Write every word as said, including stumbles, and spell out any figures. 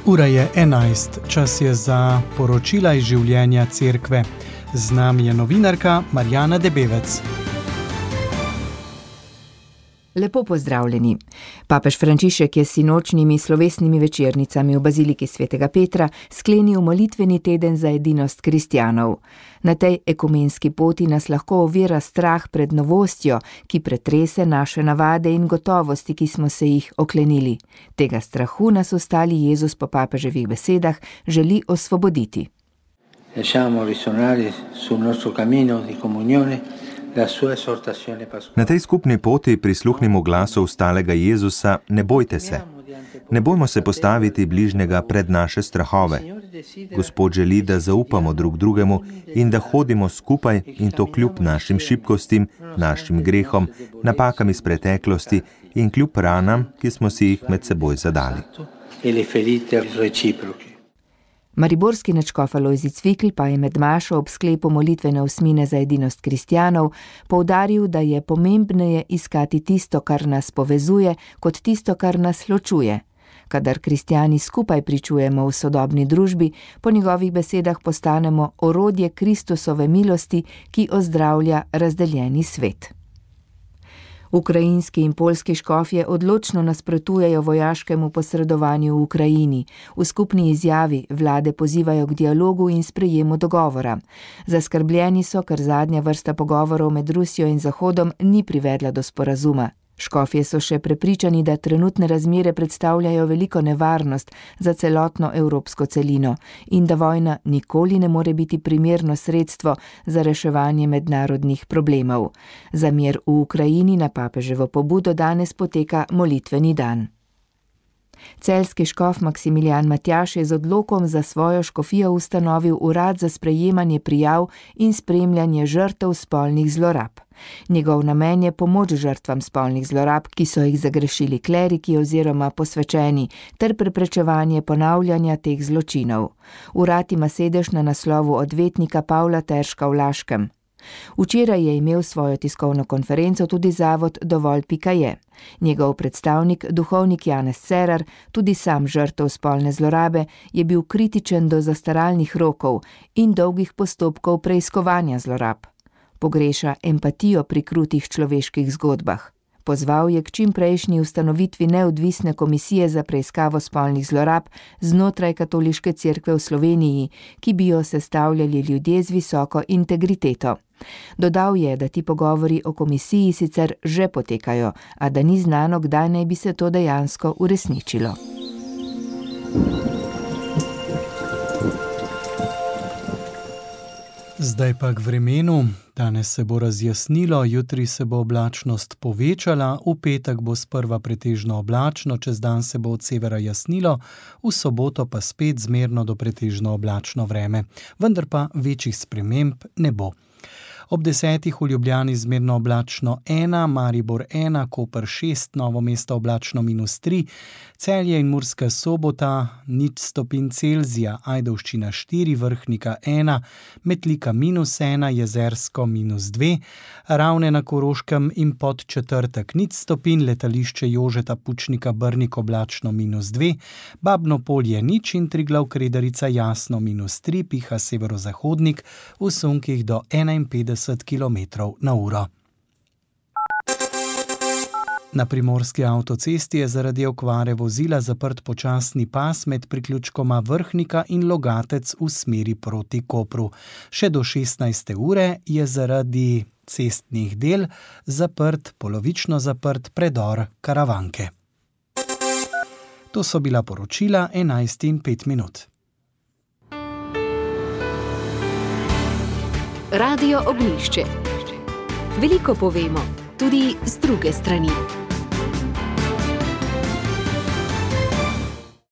Ura je enajst, čas je za poročila iz življenja cerkve. Z nami je novinarka Marjana Debevec. Lepo pozdravljeni. Papež Frančišek je s sinočnjimi slovesnimi večernicami v baziliki svetega Petra sklenil molitveni teden za edinost kristjanov. Na tej ekumenski poti nas lahko ovira strah pred novostjo, ki pretrese naše navade in gotovosti, ki smo se jih oklenili. Tega strahu nas ostali Jezus po papeževih besedah želi osvoboditi. Lasciamo risuonare sul nostro cammino di comunione. Na tej skupni poti prisluhnimo glasu vstalega Jezusa, ne bojte se. Ne bojmo se postaviti bližnjega pred naše strahove. Gospod želi, da zaupamo drug drugemu in da hodimo skupaj in to kljub našim šibkostim, našim grehom, napakam iz preteklosti in kljub ranam, ki smo si jih med seboj zadali. Mariborski nadškof Alojzij Cvikl pa je med mašo ob sklepu molitvene osmine za edinost kristjanov poudaril, da je pomembneje iskati tisto, kar nas povezuje, kot tisto, kar nas ločuje. Kadar kristjani skupaj pričujemo v sodobni družbi, po njegovih besedah postanemo orodje Kristusove milosti, ki ozdravlja razdeljeni svet. Ukrajinski in poljski škofje odločno nasprotujejo vojaškemu posredovanju v Ukrajini. V skupni izjavi vlade pozivajo k dialogu in sprejemu dogovora. Zaskrbljeni so, ker zadnja vrsta pogovorov med Rusijo in Zahodom ni privedla do sporazuma. Škofje so še prepričani, da trenutne razmere predstavljajo veliko nevarnost za celotno evropsko celino in da vojna nikoli ne more biti primerno sredstvo za reševanje mednarodnih problemov. Za mir v Ukrajini na papeževo pobudo danes poteka molitveni dan. Celjski škof Maksimilijan Matjaž je z odlokom za svojo škofijo ustanovil urad za sprejemanje prijav in spremljanje žrtev spolnih zlorab. Njegov namen je pomoč žrtvam spolnih zlorab, ki so jih zagrešili kleriki oziroma posvečeni, ter preprečevanje ponavljanja teh zločinov. Urad ima sedež na naslovu odvetnika Pavla Terška v Laškem. Včeraj je imel svojo tiskovno konferenco tudi zavod Dovolj pika je. Njegov predstavnik, duhovnik Janez Cerar, tudi sam žrtev spolne zlorabe, je bil kritičen do zastaralnih rokov in dolgih postopkov preiskovanja zlorab. Pogreša empatijo pri krutih človeških zgodbah. Pozval je k čimprejšnji ustanovitvi neodvisne komisije za preiskavo spolnih zlorab znotraj Katoliške cerkve v Sloveniji, ki bi jo sestavljali ljudje z visoko integriteto. Dodal je, da ti pogovori o komisiji sicer že potekajo, a da ni znano, kdaj naj bi se to dejansko uresničilo. Zdaj pa k vremenu. Danes se bo razjasnilo, jutri se bo oblačnost povečala, v petek bo sprva pretežno oblačno, čez dan se bo od severa jasnilo, v soboto pa spet zmerno do pretežno oblačno vreme, vendar pa večjih sprememb ne bo. Ob desetih v Ljubljani zmerno oblačno ena, Maribor ena, Koper šest, Novo mesto oblačno minus tri, Celje in Murska Sobota nič stopinj Celzija, Ajdovščina štiri, Vrhnika ena, Metlika minus ena, Jezersko minus dve, Ravne na Koroškem in Podčetrtek nič stopinj, Letališče Jožeta Pučnika Brnik oblačno minus dve, Babno Polje nič in Triglav Kredarica jasno minus tri, piha severozahodnik v sunkih do enainpetdeset kilometrov na uro. Na primorski avtocesti je zaradi okvare vozila zaprt počasni pas med priključkoma Vrhnika in Logatec v smeri proti Kopru. Še do šestnajste ure je zaradi cestnih del zaprt, polovično zaprt predor Karavanke. To so bila poročila enajst in pet minut. Radio Ognjišče. Veliko povemo, tudi z druge strani.